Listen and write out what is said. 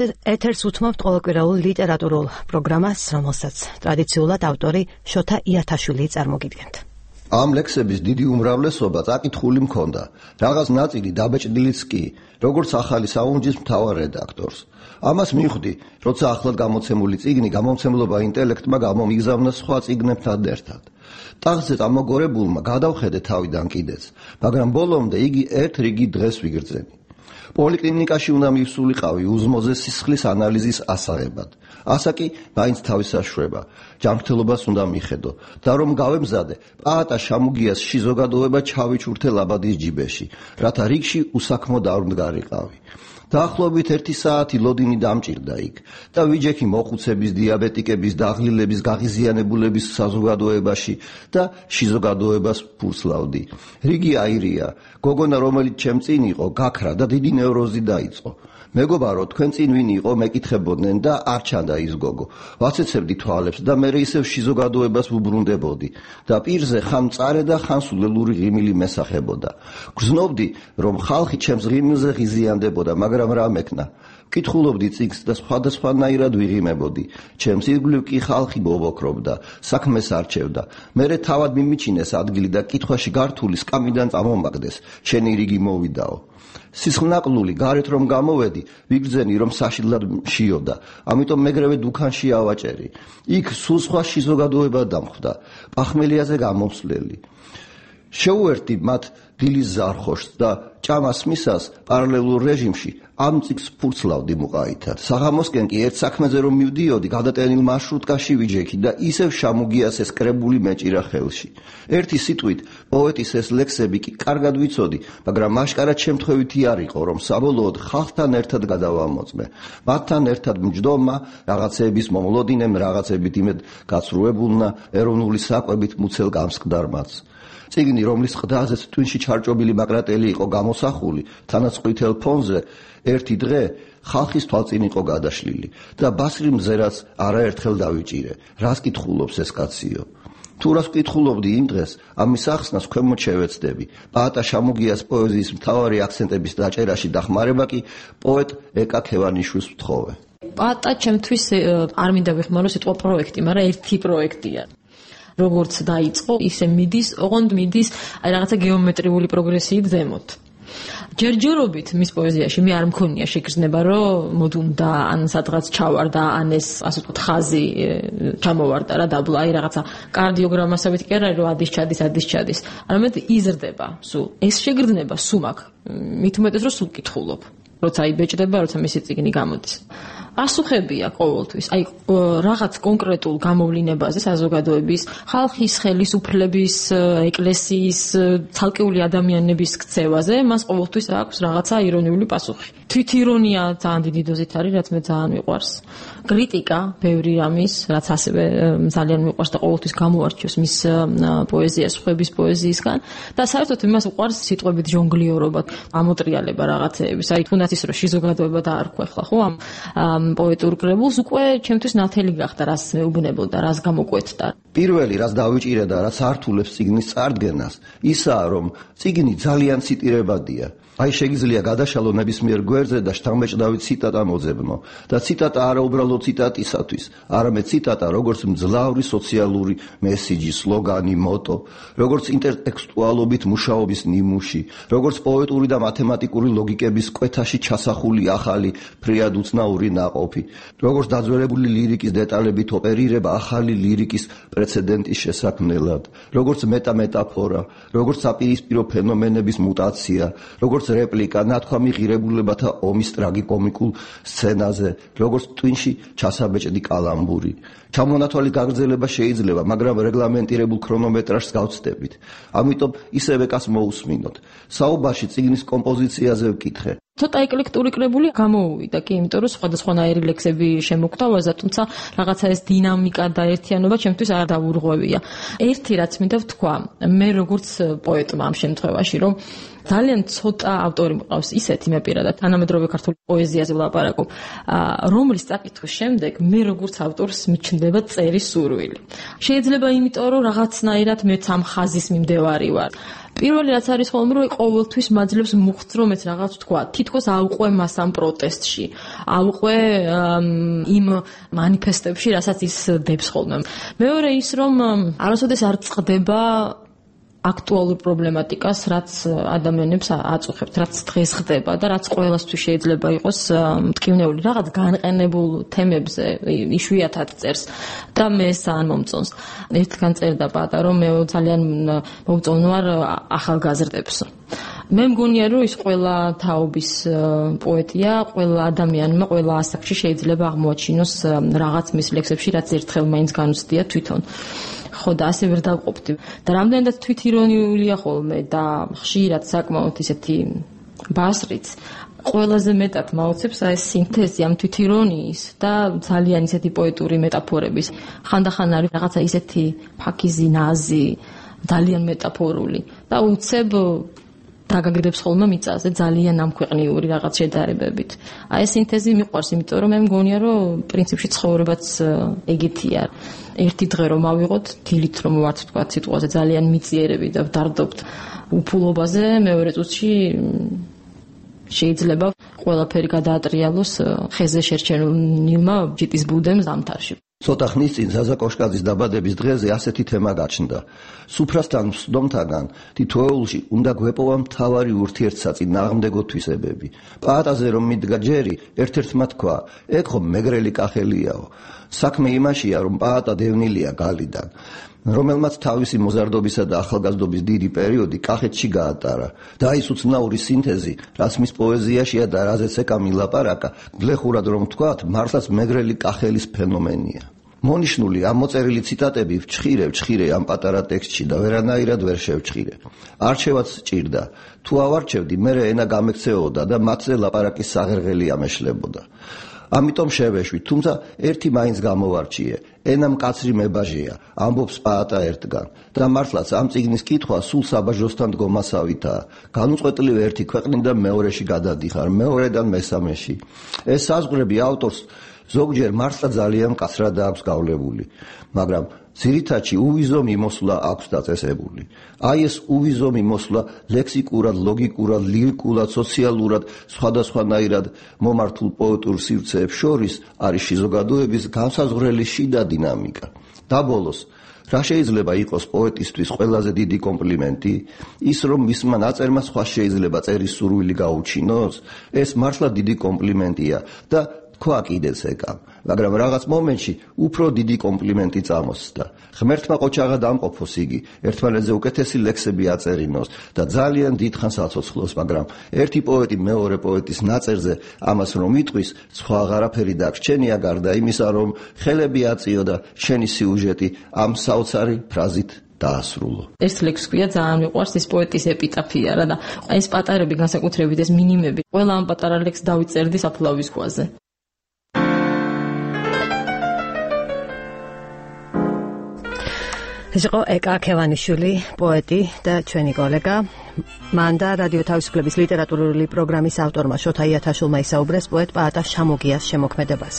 ეთერს უთმობთ ყოველკვირეულ ლიტერატურულ პროგრამას, რომელსაც ტრადიციულად ავტორი შოთა იათაშვილი წარმოგიდგენთ. ამ ლექსების დიდი უმრავლესობა წაკითხული მქონდა, რაღაც ნაწილი დაბეჭდილიც კი, როგორც ახალი საუნჯის მთავარ რედაქტორს. ამას მივხვდი, როცა ახლად გამოცემული წიგნი გამომცემლობა ინტელექტმა გამომიგზავნა სხვა წიგნებთან ერთად. ტახტზე წამოგორებულმა გადავხედე თავიდან კიდეც, მაგრამ ბოლომდე იგი ერთ რიგი დღეს ვიგრძენი. პოლიკლინიკაში უნდა მივსულიყავი უზმოზე სისხლის ანალიზის ასაღებად. ასაკი მაინც თავის საშუება, ჯანმრთელობას უნდა მიხედო და რომ გავემზადე, პაატა შამუგიას შიზოგადოება ჩავიჩურთე ლაბადის ჯიბეში, რათა რიგში უსაქმო დავრმდგარიყავი. დაახლოებით 1 საათი ლოდინი დამჭირდა იქ და ვიჯექი მოხუცების, დიაბეტიკების, დაღლილების, გაღიზიანებულების საზოგადოებაში და შიზოგადოებას ფურცლავდი. რიგი აირია, გოგონა რომელიც ჩემ წინ იყო, გაქრა და დიდი ნევროზი დაიწყო. მეგობარო, თქვენ წინ ვინ იყო, მეკითხებოდნენ და არ ჩანდა ის გოგო. ვაცეცებდი თვალებს და მე ისევ შიზოგადოებას ვუბრუნდებოდი და პირზე ხან მწარე და ხან სულელური ღიმილი მესახებოდა. გრძნობდი, რომ ხალხი ჩემს ღიმილზე ღიზიანდებოდა, მაგრამ რა მექნა? ვკითხულობდი წიგნს და სხვადასხვანაირად ვიღიმებოდი. ჩემს ირგვლივ კი ხალხი ბობოქრობდა, საქმეს არჩევდა. მერე თავად მიმიჩინეს ადგილი და კითხვაში გართული სკამიდან წამომაგდეს, შენი რიგი მოვიდაო. სისხლნაკლული გარეთ რომ გამოვედი, ვიგრძენი რომ საშიდლად მშიოდა, ამიტომ მეგრევე დუქანში ავაჭერი. იქ სულ სხვა შიზოგადოება დამხვდა, პახმელიაზე გამომსვლელი. შეუერთდი მათ დილის ზარხოშს და ჭამას მისას პარალელურ რეჟიმში ამ წიგნს ფურცლავდი მუყაითად. საღამოსკენ კი ერთ საქმეზე რომ მივდიოდი, გადატენილ მარშრუტკაში ვიჯექი და ისევ შამუგიას ეს კრებული მეჭირა ხელში. ერთი სიტყვით, პოეტის ეს ლექსები კი კარგად ვიცოდი, მაგრამ მაშკარად შემთხვევითი არ იყო, რომ საბოლოოდ ხალხთან ერთად გადავამოწმე. მათთან ერთად მჯდომა, რაღაცეების მომლოდინემ, რაღაცებით იმედ გაცრუებულნა, ეროვნული საკვებით მუცელ გამსკდარმაც. წიგნი, რომლის ყდაზეც ტვინში ჩარჭობილი მაკრატელი იყო გამოსახული, თანაც ყვითელ ფონზე, ერთი დღე ხალხის თვალწინ იყო გადაშლილი და ბასრი მზერაც არაერთხელ დავიჭირე. რას კითხულობს ეს კაციო? თუ რას ვკითხულობდი იმ დღეს, ამის ახსნას ქვემოთ შევეცდები. პაატა შამუგიას პოეზიის მთავარი აქცენტების დაჭერაში დახმარება კი პოეტ ეკა ქევანიშვილს ვთხოვე. პაატა ჩემთვის არ მინდა ვიხმარო სიტყვა პროექტი, მაგრამ ერთი პროექტია. როგორც დაიწყო, ისე მიდის, ოღონდ მიდის აი რაღაცა გეომეტრიული პროგრესიით ზემოთ. ჯერჯერობით მის პოეზიაში მე არ მქონია შეგრძნება, რომ მოდუნდა ან სადღაც ჩავარდა, ან ეს ასე ვთქვათ ხაზი ჩამოვარდა რა დაბლა, აი რაღაცა კარდიოგრამასავით კი არა, რომ ადის ჩადის, არამედ იზრდება სულ. ეს შეგრძნება სულ მაქვს. მით უმეტეს რომ სულ კითხულობ. როცა იბეჭდება, როცა მისი წიგნი გამოდის. ასუხებია ყოველთვის, აი რაღაც კონკრეტულ გამოვლინებაზე საზოგადოების, ხალხის, ხელისუფლების, ეკლესიის, ცალკეული ადამიანების ქცევაზე, მას ყოველთვის აქვს რაღაცა ირონიული პასუხი. თვითირონია ძალიან დიდი დოზით არის, რაც მე ძალიან მიყვარს. კრიტიკა, ბევრი რამის, რაც ასევე ძალიან მიყვარს და ყოველთვის გამოარჩევს მის პოეზიას სხვების პოეზიისგან და საერთოდ იმას უყვარს სიტყვებით ჟონგლიორობა, ამოტრიალება რაღაცეების. აი თუნდაც ის რომ შიზოგადოება დაარქვა ახლა ხო ამ პოეტურ კრებულს უკვე ჩემთვის ნათელი გახდა, რას მეუბნებოდა, რას გამოკვეთდა. პირველი, რაც დავიჭირე და რაც ართულებს წიგნის წარდგენას, ისაა, რომ წიგნი ძალიან ციტირებადია. აი შეგიძლია გადაშალო ნებისმიერ გვერდზე და შთამბეჭდავი ციტატა მოძებნო და ციტატა არა უბრალოდ ციტატისათვის, არამედ ციტატა როგორც მძლავრი სოციალური მესიჯი, სლოგანი, მოტო, როგორც ინტერტექსტუალობით მუშაობის ნიმუში, როგორც პოეტური და მათემატიკური ლოგიკების კვეთაში ჩასახული ახალი ფრიად უცნაური ნაყოფი, როგორც დაძველებული ლირიკის დეტალებით ოპერირება ახალი ლირიკის პრეცედენტის შესაქმნელად, როგორც მეტამეტაფორა, როგორც საპირისპირო ფენომენების მუტაცია, როგორც რეპლიკა ნათქვამი ღირებულებათა ომის ტრაგიკომიკულ სცენაზე, როგორც ტვინში ჩასაბეჭდი კალამბური. ჩამონათვალი გაგრძელება შეიძლება, მაგრამ რეგლამენტირებულ ქრონომეტრაჟს გავცდებით. ამიტომ ისევ ეკას მოусმინოთ. საუბარში წიგნის კომპოზიციაზე ვკითხე. ცოტა ეკლექტური კრებული გამოუვიდა კი, იმიტომ რომ სხვადასხვანაირი ლექსები შემოგთავაზა, თუმცა რაღაცა ეს დინამიკა და ერთიანობა ჩემთვის არ დაურღვევია. ერთი რაც მინდა ვთქვა, მე როგორც პოეტმა ამ შემთხვევაში, რომ ძალიან ცოტა ავტორი მყავს ისეთი მე პირადად თანამედროვე ქართულ პოეზიაზე ვლაპარაკობ, რომლის წაკითხვის შემდეგ მე როგორც ავტორს მიჩნდება წერის სურვილი. შეიძლება იმიტომ რომ რაღაცნაირად მეც ამ ხაზის მიმდევარი ვარ. პირველი რაც არის ხოლმე რომ ყოველთვის მაძლევს მუხტს რომ ეს რაღაც თქვა თითქოს ავყვე მას ამ პროტესტში ავყვე იმ მანიფესტებში რასაც ის დებს ხოლმე მეორე ის რომ არასოდეს არ წყდება აქტუალურ პრობლემატიკას რაც ადამიანებს აწუხებთ რაც დღეს ხდება და რაც ყოველასთვის შეიძლება იყოს მტკივნეული რაღაც განყენებულ თემებზე იშვიათად წერს და მე ძალიან მომწონს ერთგან წერდა პატა რომ მე ძალიან მომწონვარ ახალგაზრდებს მე მგონია რომ ის ყველა თაობის პოეტია ყველა ადამიანმა ყველა ასაკში შეიძლება აღმოაჩინოს რაღაც მის ლექსებში რაც ერთხელ მაინც განუცდია თვითონ ხო და ასე ვერ დავყოფდი და რამდენადაც თვითირონიულია ხოლმე და ხშირად საკმაოდ ისეთი ბასრიც ყველაზე მეტად მაოცებს ეს სინთეზი ამ თვითირონიის და ძალიან ისეთი პოეტური მეტაფორების ხანდახან არის რაღაცა ისეთი ფაქიზი ნაზი ძალიან მეტაფორული და უცებ დაგაგდებს ხოლმე მიწაზე ძალიან ამქვეყნიური რაღაც შედარებებით. აი ეს სინთეზი მიყვარს, იმიტომ რომ მე მგონია რომ პრინციპში ცხოვრებაც ეგეთია. ერთი დღე რომ ავიღოთ, დილით რომ ვართ თქვა სიტყვაზე ძალიან მიწიერები და ვდარდობთ უფულობაზე, მეორე წუთში შეიძლება ყველაფერი გადაატრიალოს ხეზე შერჩენილმა ჯიტის ბუდემ ზამთარში. ცოტა ხნის წინ ზაზა კოშკაძის დაბადების დღეზე ასეთი თემა გაჩნდა. სუფრასთან მსდომთაგან თითოეულში უნდა გვეპოვა მთავარი ურთიერთსაწინ ნაღმდეგო თვისებები. პაატაზე რომ მიდგა ჯერი, ერთ-ერთმა თქვა, ეგ ხომ მეგრელი კახელიაო. საქმე იმაშია, რომ პაატა დევნილია გალიდან, რომელმაც თავისი მოზარდობისა და ახალგაზრდობის დიდი პერიოდი კახეთში გაატარა. და ის უცნაური სინთეზი, რაც მის პოეზიაშია და რაზეც ეკა მილაპარაკა, გლეხურად რომ ვთქვათ, მართლაც მეგრელი კახელის ფენომენია. მონიშნული ამ მოწერილი ციტატები ვჩხირე ამ პატარა ტექსტში და ვერანაირად ვერ შევჩხირე. არჩევაც სჭირდა. თუ ავარჩევდი, მერე ენა გამექცეოდა და მათზე ლაპარაკის საღერღელი ამეშლებოდა. ამიტომ შევეშვი, თუმცა ერთი მაინც გამოვარჩიე. ენა მკაცრი მებაჟეა, ამბობს პაატა ერთგან. და მართლაც ამ წიგნის კითხვა სულ საბაჟოსთან დგომასავითაა. განუწყვეტლივ ერთი ქვეყნიდან მეორეში გადადიხარ, მეორედან მესამეში. ეს საზღვრები ავტორს ზოგჯერ მართლა ძალიან მკაცრად აქვს გავლებული, მაგრამ ძირითადში უვიზო მიმოსვლა აქვს დაწესებული. აი ეს უვიზო მიმოსვლა ლექსიკურად, ლოგიკურად, ლირიკულად, სოციალურად, სხვადასხვანაირად მომართულ პოეტურ სივრცეებს შორის არის შიზოგადოების განსაზღვრელი შიდა დინამიკა. და ბოლოს, რა შეიძლება იყოს პოეტისთვის ყველაზე დიდი კომპლიმენტი? ის რომ მისმა ნაწერმა სხვა შეიძლება წერის სურვილი გაუჩინოს? ეს მართლა დიდი კომპლიმენტია და თქვა კიდეც ეკამ, მაგრამ რაღაც მომენტში უფრო დიდი კომპლიმენტი წამოსდა. ღმერთმა ყოჩაღად ამყოფოს იგი, ერთმანეთზე უკეთესი ლექსები აწერინოს და ძალიან დიდხანს აცოცხლოს, მაგრამ ერთი პოეტი მეორე პოეტის ნაწერზე ამას რომ იტყვის, სხვა აღარაფერი დაგრჩენია გარდა იმისა, რომ ხელები აწიო და შენი სიუჟეტი ამ საოცარი ფრაზით დაასრულო. ეს ლექსი ქვია ძალიან მიყვარს ის პოეტის ეპიტაფია რა და ეს პატარები განსაკუთრებით ეს მინიმები ყველა ამ პატარა ლექსს დავიწერდი საფლავის ქვაზე. ეს იყო ეკა ქევანიშვილი, პოეტი და ჩვენი კოლეგა. მან და რადიო თავისუფლების ლიტერატურული პროგრამის ავტორმა შოთა იათაშვილმა ისაუბრეს პოეტ პაატა შამოგიას შემოქმედებას.